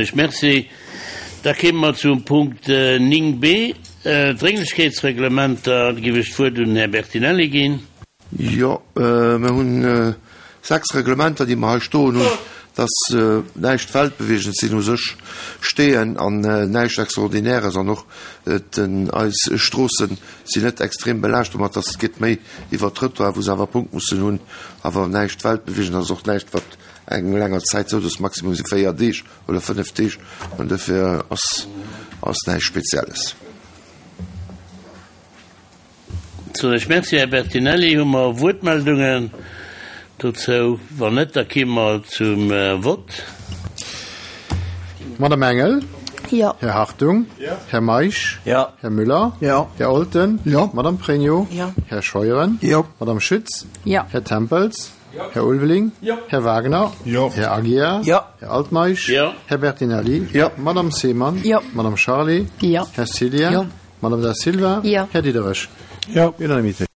Ech Merci. Da kéime mer zum Punkt 9 b, d'Drénglechkeetsreglementer. Da géif ech d'Wuert un den Här Bertinelli ginn. Jo, mer hunn 6 Reglementer, déi mer hei stoen hunn. Et ass näischt Weltbewegendes, sinn u sech Steeën an näischt Extraordinäres. An och eis Stroosse sinn net extrem belaascht domat, dass et geet méi iwwer Trëttoir, wou se awer Punkt mussen hunn. Awer näischt Weltbewegendes, ass och näischt, wat eng länger Zäit sou, dass maximum si 4 Deeg oder 5 Deeg an dofir ass ass näischt Spezielles. Soen ech Merci, Här Bertinelli. Hu mer Wuertmeldungen dozou? Wann net, da ki mer zum Vott. Madame Engel? Jo. Här Hartung? Jo. Här Meisch? Jo. Här Müller? Jo. Här Olten? Jo. Madame Pregno? Jo. Här Scheuren? Jo. Madame Schütz? Jo. Här Tempels? Här Ulveling? Jo. Här Wagner? Jo. Här Aguiar? Jo. Här Altmeisch? Jo. Här Bertinelli? Jo. Madame Seemann? Jo. Madame Charlé? Jo. Här Cillien? Jo. Madame Da Silva? Jo. Här Diderich? Jo. Unanimité.